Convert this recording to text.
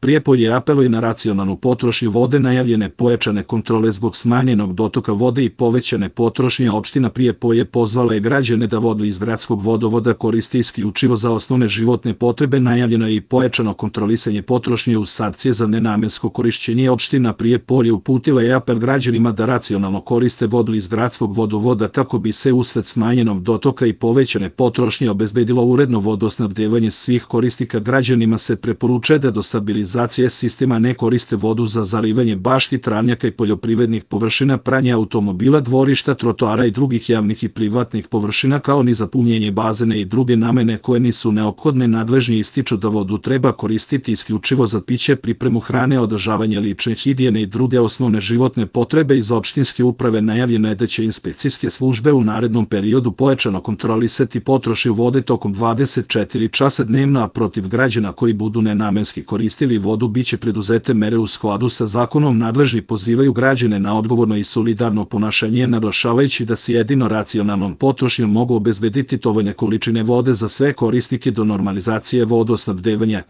Prijepolje apeluje na racionalnu potrošnju vode, najavljene pojačane kontrole zbog smanjenog dotoka vode i povećane potrošnje. Opština Prijepolje pozvala je građane da vodu iz gradskog vodovoda koriste isključivo za osnovne životne potrebe. Najavljeno je i pojačano kontrolisanje potrošnje uz sankcije za nenamensko korišćenje. Opština Prijepolje uputila je apel građanima da racionalno koriste vodu iz gradskog vodovoda kako bi se usled smanjenog dotoka i povećane potrošnje obezbedilo uredno vodosnabdevanje svih korisnika. Građanima se preporučuje da do stabilizacije sistema ne koriste vodu za zalivanje bašti, travnjaka i poljoprivrednih površina, pranje automobila, dvorišta, trotoara i drugih javnih i privatnih površina, kao ni za punjenje bazena i druge namene koje nisu neophodne. Nadležni ističu da vodu treba koristiti isključivo za piće, pripremu hrane, održavanje lične higijene i druge osnovne životne potrebe. Iz opštinske uprave najavljeno je da će inspekcijske službe u narednom periodu pojačano kontrolisati potrošnju vode tokom 24 časa dnevno, a protiv građana koji budu nenamenski koristili vodu biće preduzete mere u skladu sa zakonom. Nadležni pozivaju građane na odgovorno i solidarno ponašanje, naglašavajući da se jedino racionalnom potrošnjom mogu obezbediti dovoljne količine vode za sve korisnike do normalizacije vodosnabdevanja.